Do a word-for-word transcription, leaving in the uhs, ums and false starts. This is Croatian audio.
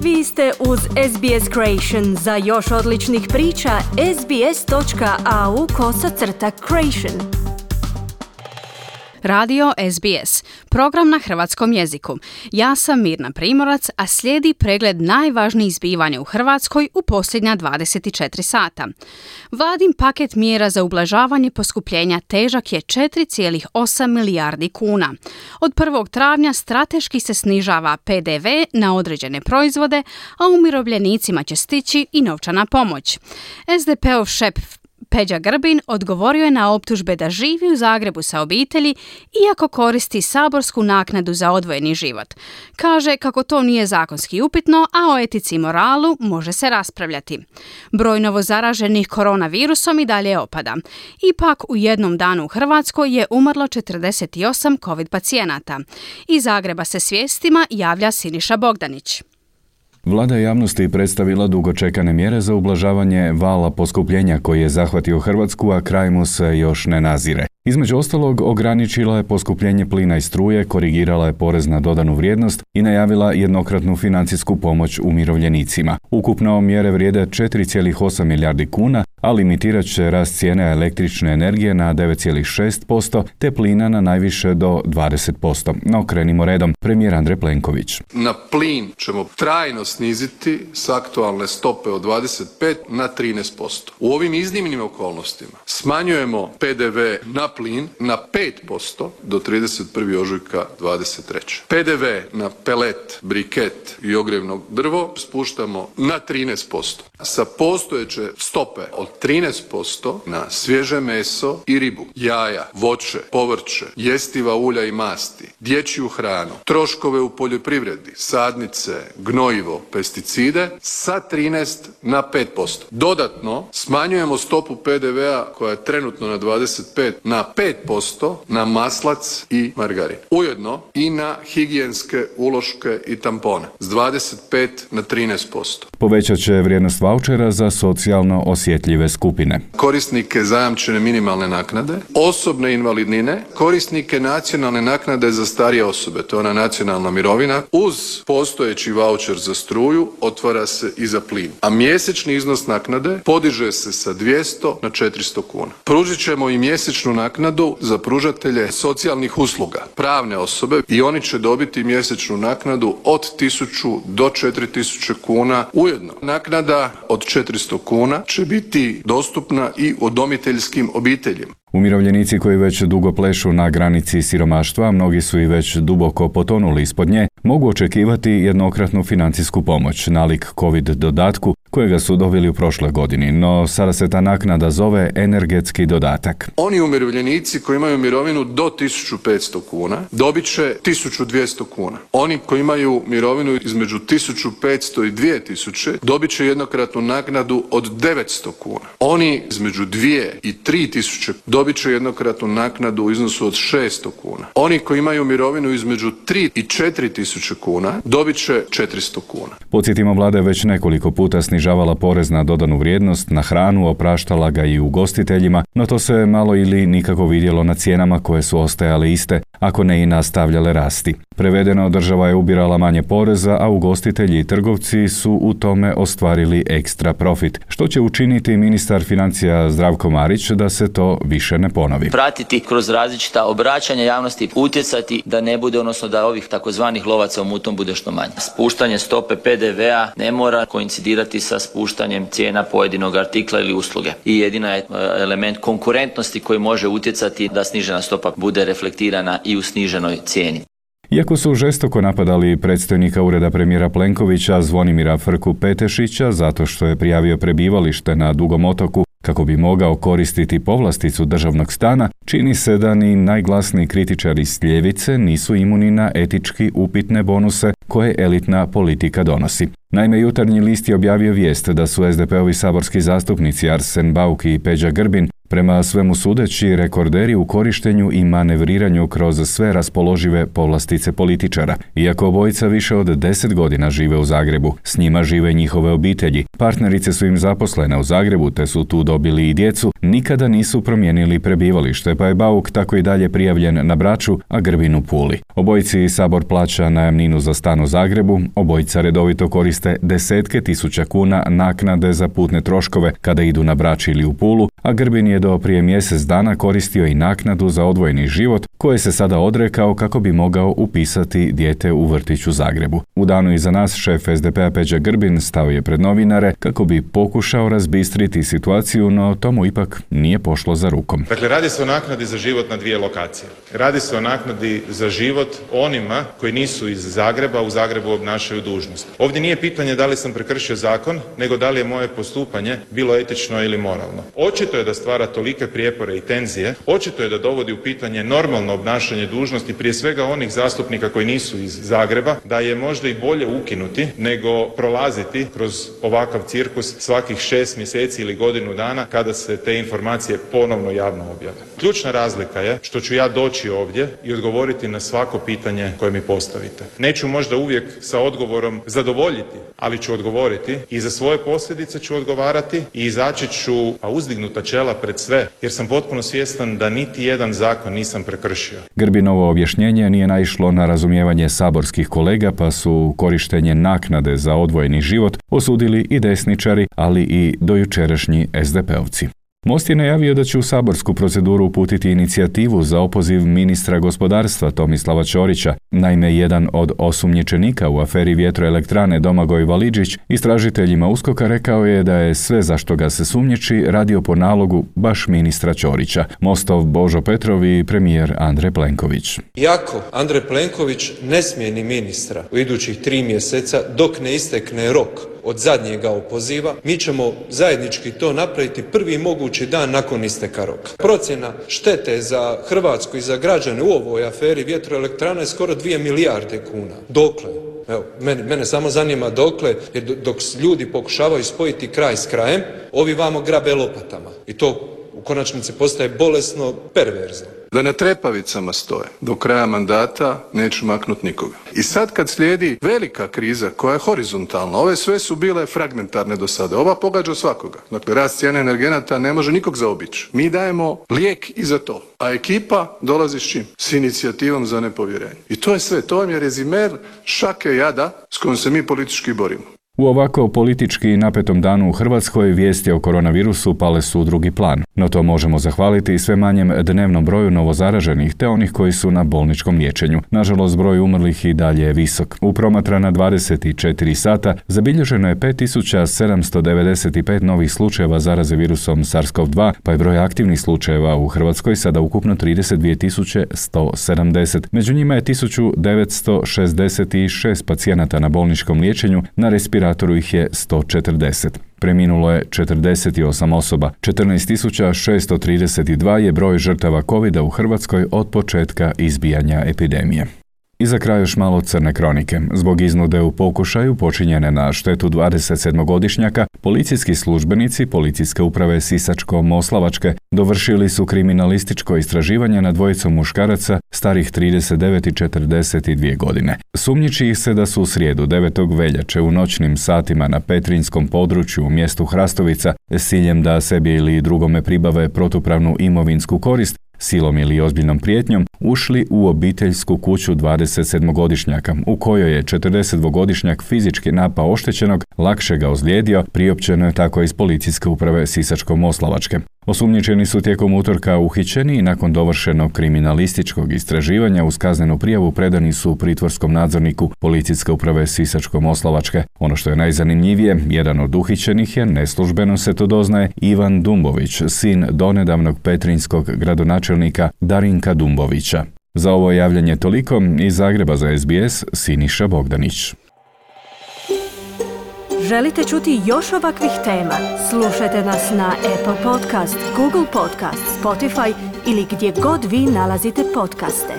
Vi ste uz S B S Creation. Za još odličnih priča, sbs.au kosacrta creation. Radio S B S, program na hrvatskom jeziku. Ja sam Mirna Primorac, a slijedi pregled najvažnijih zbivanja u Hrvatskoj u posljednja dvadeset četiri sata. Vladin paket mjera za ublažavanje poskupljenja težak je četiri zarez osam milijardi kuna. Od prvog travnja strateški se snižava P D V na određene proizvode, a umirovljenicima će stići i novčana pomoć. S D P-ov šef Peđa Grbin odgovorio je na optužbe da živi u Zagrebu sa obitelji iako koristi saborsku naknadu za odvojeni život. Kaže kako to nije zakonski upitno, a o etici i moralu može se raspravljati. Broj novozaraženih koronavirusom i dalje opada. Ipak u jednom danu u Hrvatskoj je umrlo četrdeset osam COVID pacijenata. Iz Zagreba se s vijestima javlja Siniša Bogdanić. Vlada je javnosti predstavila dugo čekane mjere za ublažavanje vala poskupljenja koji je zahvatio Hrvatsku, a kraj mu se još ne nazire. Između ostalog, ograničila je poskupljenje plina i struje, korigirala je porez na dodanu vrijednost i najavila jednokratnu financijsku pomoć umirovljenicima. Ukupno mjere vrijede četiri zarez osam milijardi kuna, a limitirat će rast cijene električne energije na devet zarez šest posto te plina na najviše do dvadeset posto. No krenimo redom. Premijer Andrej Plenković. Na plin ćemo trajno sniziti s aktualne stope od dvadeset pet na trinaest posto. U ovim iznimnim okolnostima smanjujemo P D V na plin na pet posto do trideset prvog ožujka dvadeset treće. P D V na pelet, briket i ogrjevno drvo spuštamo na trinaest posto. Sa postojeće stope od trinaest posto na svježe meso i ribu, jaja, voće, povrće, jestiva ulja i masti, dječju hranu, troškove u poljoprivredi, sadnice, gnojivo, pesticide sa trinaest na pet posto. Dodatno smanjujemo stopu P D V-a koja je trenutno na dvadeset pet na pet posto na maslac i margarin. Ujedno i na higijenske uloške i tampone s dvadeset pet na trinaest posto. Povećat će vrijednost vaučera za socijalno osjetljive skupine. Korisnike zajamčene minimalne naknade, osobne invalidnine, korisnike nacionalne naknade za starije osobe, to je ona nacionalna mirovina, uz postojeći vaučer za struju otvara se i za plin. A mjesečni iznos naknade podiže se sa dvjesto na četiristo kuna. Pružit ćemo i mjesečnu naknadu za pružatelje socijalnih usluga, pravne osobe, i oni će dobiti mjesečnu naknadu od tisuću do četiri tisuće kuna. Ujedno, naknada od četiristo kuna će biti dostupna i udomiteljskim obiteljima. Umirovljenici koji već dugo plešu na granici siromaštva, mnogi su i već duboko potonuli ispod nje, mogu očekivati jednokratnu financijsku pomoć, nalik COVID dodatku, kojega su dobili u prošloj godini, no sada se ta naknada zove energetski dodatak. Oni umirovljenici koji imaju mirovinu do tisuću petsto kuna dobit će tisuću dvjesto kuna. Oni koji imaju mirovinu između tisuću petsto i dvije tisuće dobit će jednokratnu naknadu od devetsto kuna. Oni između dvije i tri tisuće dobit će jednokratnu naknadu u iznosu od šesto kuna. Oni koji imaju mirovinu između tri i četiri tisuće kuna dobit će četiristo kuna. Podsjetimo, vlada je već nekoliko puta snižavala porez na dodanu vrijednost na hranu, opraštala ga i ugostiteljima, no to se malo ili nikako vidjelo na cijenama koje su ostajale iste, ako ne i nastavljale rasti. Prevedeno, država je ubirala manje poreza, a ugostitelji i trgovci su u tome ostvarili ekstra profit, što će učiniti ministar financija Zdravko Marić da se to više ne ponovi. Pratiti kroz različita obraćanja javnosti, utjecati da ne bude, odnosno da ovih takozvanih lovaca u mutnom bude što manje. Spuštanje stope P D V-a ne mora koincidirati sa spuštanjem cijena pojedinog artikla ili usluge. I jedina je element konkurentnosti koji može utjecati da snižena stopa bude reflektirana i u sniženoj cijeni. Iako su žestoko napadali predstojnika ureda premijera Plenkovića Zvonimira Frku Petešića zato što je prijavio prebivalište na Dugom otoku kako bi mogao koristiti povlasticu državnog stana, čini se da ni najglasniji kritičari s ljevice nisu imuni na etički upitne bonuse koje elitna politika donosi. Naime, Jutarnji list je objavio vijest da su S D P-ovi saborski zastupnici Arsen Bauk i Peđa Grbin Prema svemu sudeći, rekorderi u korištenju i manevriranju kroz sve raspoložive povlastice političara. Iako obojica više od deset godina žive u Zagrebu, s njima žive njihove obitelji. Partnerice su im zaposlene u Zagrebu te su tu dobili i djecu, nikada nisu promijenili prebivalište, pa je Bauk tako i dalje prijavljen na Braču, a Grbin u Puli. Obojici Sabor plaća najamninu za stan u Zagrebu, obojica redovito koriste desetke tisuća kuna naknade za putne troškove kada idu na Brač ili u Pulu, a Grbin je do prije mjesec dana koristio i naknadu za odvojeni život, koje se sada odrekao kako bi mogao upisati dijete u vrtić u Zagrebu. U danu iza nas šef es de pe a Peđa Grbin stao je pred novinare kako bi pokušao razbistriti situaciju, no tomu ipak nije pošlo za rukom. Dakle, radi se o naknadi za život na dvije lokacije. Radi se o naknadi za život onima koji nisu iz Zagreba, u Zagrebu obnašaju dužnost. Ovdje nije pitanje da li sam prekršio zakon, nego da li je moje postupanje bilo etično ili moralno. Očito je da stvara tolike prijepore i tenzije, očito je da dovodi u pitanje normalno obnašanje dužnosti, prije svega onih zastupnika koji nisu iz Zagreba, da je možda i bolje ukinuti nego prolaziti kroz ovakav cirkus svakih šest mjeseci ili godinu dana kada se te informacije ponovno javno objave. Ključna razlika je što ću ja doći ovdje i odgovoriti na svako pitanje koje mi postavite. Neću možda uvijek sa odgovorom zadovoljiti, ali ću odgovoriti i za svoje posljedice ću odgovarati i izaći ću a uzdignuta čela pred sve, jer sam potpuno svjestan da niti jedan zakon nisam prekršio. Grbinovo objašnjenje nije naišlo na razumijevanje saborskih kolega, pa su korištenje naknade za odvojeni život osudili i desničari, ali i dojučerašnji es de pe ovci. Most je najavio da će u saborsku proceduru uputiti inicijativu za opoziv ministra gospodarstva Tomislava Ćorića. Naime, jedan od osumnjičenika u aferi vjetroelektrane Domagoj Validžić istražiteljima uskoka rekao je da je sve za što ga se sumnjiči radio po nalogu baš ministra Ćorića, Mostov Božo Petrov i premijer Andrej Plenković. Iako Andrej Plenković ne smijeni ministra u idućih tri mjeseca dok ne istekne rok od zadnjega opoziva, mi ćemo zajednički to napraviti prvi mogući dan nakon isteka roka. Procjena štete za Hrvatsku i za građane u ovoj aferi vjetroelektrana je skoro dvije milijarde kuna. Dokle? Evo, mene, mene samo zanima dokle, jer dok ljudi pokušavaju spojiti kraj s krajem, ovi vamo grabe lopatama. I to u konačnici postaje bolesno, perverzno. Da na trepavicama stoje. Do kraja mandata neću maknuti nikoga. I sad kad slijedi velika kriza koja je horizontalna, ove sve su bile fragmentarne do sada. Ova pogađa svakoga. Dakle, rast cijene energenata ne može nikog zaobići. Mi dajemo lijek i za to. A ekipa dolazi s čim? S inicijativom za nepovjerenje. I to je sve. To vam je rezimer šake jada s kojom se mi politički borimo. U ovako politički napetom danu u Hrvatskoj vijesti o koronavirusu pale su u drugi plan, no to možemo zahvaliti i sve manjem dnevnom broju novozaraženih te onih koji su na bolničkom liječenju. Nažalost, broj umrlih i dalje je visok. U promatrana dvadeset četiri sata zabilježeno je pet tisuća sedamsto devedeset pet novih slučajeva zaraze virusom SARS-CoV dva, pa je broj aktivnih slučajeva u Hrvatskoj sada ukupno trideset dvije tisuće sto sedamdeset. Među njima je tisuću devetsto šezdeset šest pacijenata na bolničkom liječenju, na respiratoru ih je sto četrdeset. Preminulo je četrdeset osam osoba. četrnaest tisuća šesto trideset dva je broj žrtava kovida u Hrvatskoj od početka izbijanja epidemije. I za kraj još malo crne kronike. Zbog iznude u pokušaju počinjene na štetu dvadesetsedmogodišnjaka, policijski službenici Policijske uprave Sisačko-moslavačke dovršili su kriminalističko istraživanje nad dvojicom muškaraca starih trideset devet i četrdeset dvije godine. Sumnjiči ih se da su u srijedu devetog veljače u noćnim satima na petrinjskom području u mjestu Hrastovica s ciljem da sebi ili drugome pribave protupravnu imovinsku korist, silom ili ozbiljnom prijetnjom, ušli u obiteljsku kuću dvadesetsedmogodišnjaka, u kojoj je četrdesetdvogodišnjak fizički napao oštećenog, lakše ga ozlijedio, priopćeno je tako iz Policijske uprave Sisačko-moslavačke. Osumnjičeni su tijekom utorka uhićeni i nakon dovršenog kriminalističkog istraživanja uz kaznenu prijavu predani su pritvorskom nadzorniku Policijske uprave Sisačko-moslavačke. Ono što je najzanimljivije, jedan od uhićenih je, neslužbeno se to doznaje, Ivan Dumbović, sin donedavnog petrinjskog gradonačelnika Darinka Dumbovića. Za ovo javljanje toliko, iz Zagreba za es be es, Siniša Bogdanić. Želite čuti još ovakvih tema? Slušajte nas na Apple Podcast, Google Podcast, Spotify ili gdje god vi nalazite podcaste.